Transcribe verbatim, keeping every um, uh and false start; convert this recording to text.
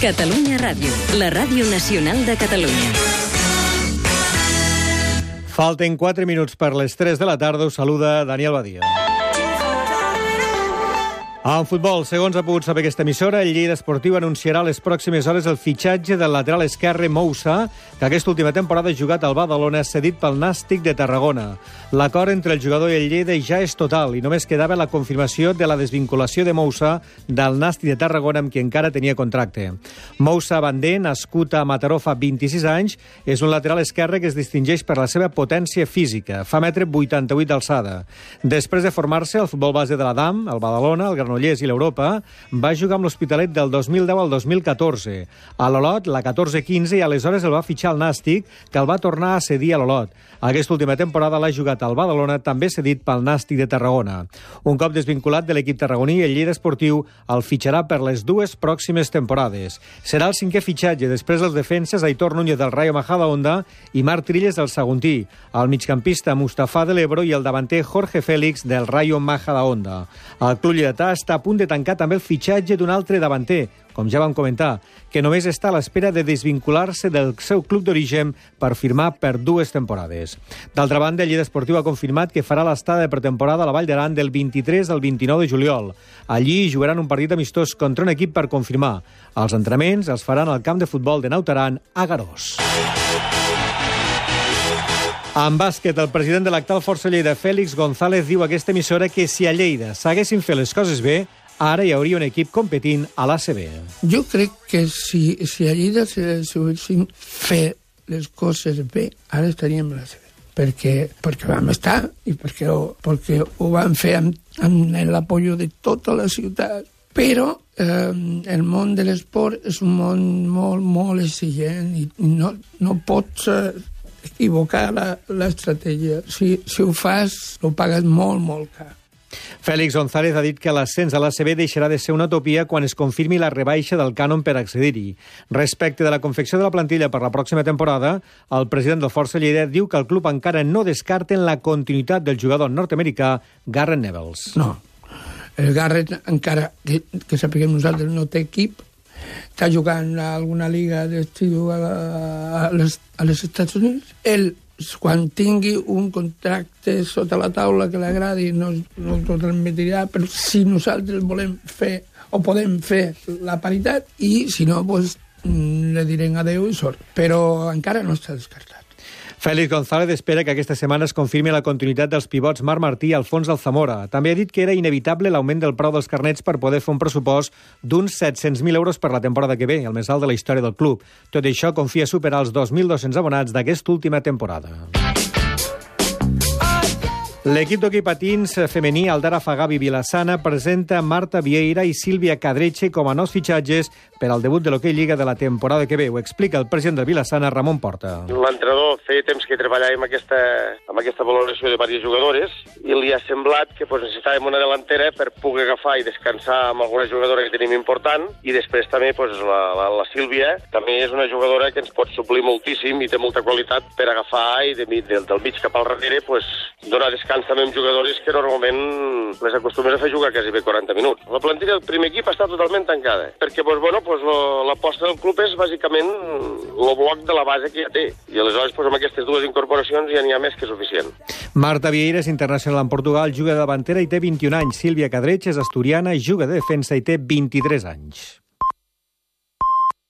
Catalunya Ràdio, la ràdio nacional de Catalunya. Falten quatre minuts per les tres de la tarda. Us saluda Daniel Badia. En futbol, segons ha pogut saber aquesta emissora, el Lleida Esportiu anunciarà a les pròximes hores el fitxatge del lateral esquerre Moussa, que aquesta última temporada ha jugat al Badalona, cedit pel Nàstic de Tarragona. L'acord entre el jugador i el Lleida ja és total i només quedava la confirmació de la desvinculació de Moussa del Nàstic de Tarragona, amb qui encara tenia contracte. Moussa Bandé, nascut a Mataró fa vint-i-sis anys, és un lateral esquerre que es distingeix per la seva potència física. Fa metre vuitanta-vuit d'alçada. Després de formar-se al futbol base de l'Adam, el Badalona, el Granollers i l'Europa, va jugar amb l'Hospitalet del dos mil deu al dos mil catorze. A l'Olot, la catorze quinze, i aleshores el va fitxar el Nàstic, que el va tornar a cedir a l'Olot. Aquesta última temporada l'ha jugat al Badalona, també cedit pel Nàstic de Tarragona. Un cop desvinculat de l'equip tarragoní, el Lleida Esportiu el fitxarà per les dues pròximes temporades. Serà el cinquè fitxatge, després dels defenses Aitor Núñez del Rayo Majadahonda i Marc Trilles del Saguntí, el migcampista Mustafa de l'Ebro i el davanter Jorge Félix del Rayo Majadahonda. El club lleidatà està a punt de tancar també el fitxatge d'un altre davanter, com ja vam comentar, que només està a l'espera de desvincular-se del seu club d'origen per firmar per dues temporades. D'altra banda, el Lleida Esportiu ha confirmat que farà l'estada de pretemporada a la Vall d'Aran del vint-i-tres al vint-i-nou de juliol. Allí jugaran un partit amistós contra un equip per confirmar. Els entrenaments els faran al camp de futbol de Naut Aran a Garós. En bàsquet, el president de l'actual Força Lleida, Félix González, diu a aquesta emissora que si a Lleida s'haguessin fet les coses bé, ara hi hauria un equip competint a l'A C B. Jo crec que si, si a Lleida s'haguessin fet les coses bé, ara estaríem a l'A C B. Perquè, perquè vam estar i perquè, perquè ho vam fer amb, amb l'apoyo de tota la ciutat. Però eh, el món de l'esport és un món molt, molt exigent i no, no pots eh, equivocar l'estratègia. Si, si ho fas, ho pagues molt, molt car. Félix González ha dit que l'ascens a l'A C B deixarà de ser una utopia quan es confirmi la rebaixa del cànon per accedir-hi. Respecte de la confecció de la plantilla per la pròxima temporada, el president del Força Lleida diu que el club encara no descarta la continuïtat del jugador nord-americà Garrett Nevels. No, el Garrett encara, que, que sapiguem nosaltres, no té equip, està jugant a alguna liga d'estiu a, a, les, a les Estats Units. Ell, quan tingui un contracte sota la taula que l'agradi, no, no el transmetirà, però si nosaltres volem fer o podem fer la paritat, i si no, doncs, le direm adeu i sort. Però encara no està descartat. Félix González espera que aquesta setmana es confirmi la continuïtat dels pivots Marc Martí i Alfons Alzamora. També ha dit que era inevitable l'augment del preu dels carnets per poder fer un pressupost d'uns set-cents mil euros per la temporada que ve, el més alt de la història del club. Tot això confia superar els dos mil dos-cents abonats d'aquesta última temporada. L'equip d'hoquei patins femení Aldara Fagavi Vilassana presenta Marta Vieira i Sílvia Cadreche com a nous fitxatges per al debut de l'hoquei Lliga de la temporada que ve. Ho explica el president de Vilassana, Ramon Porta. L'entrenador feia temps que treballava amb aquesta, amb aquesta valoració de diverses jugadores i li ha semblat que pues, necessitàvem una delantera per poder agafar i descansar amb alguna jugadora que tenim important, i després també pues, la, la, la Sílvia també és una jugadora que ens pot suplir moltíssim i té molta qualitat per agafar i de, de, del mig cap al darrere pues, donar descans també amb jugadores que normalment les acostumes a fer jugar quasi bé quaranta minuts. La plantilla del primer equip està totalment tancada, perquè pues, bueno, pues, l'aposta del club és bàsicament el bloc de la base que ja té, i aleshores pues, amb aquestes dues incorporacions ja n'hi ha més que suficient. Marta Vieira és internacional en Portugal, juga de davantera i té vint-i-un anys. Sílvia Cadreche és asturiana, juga de defensa i té vint-i-tres anys.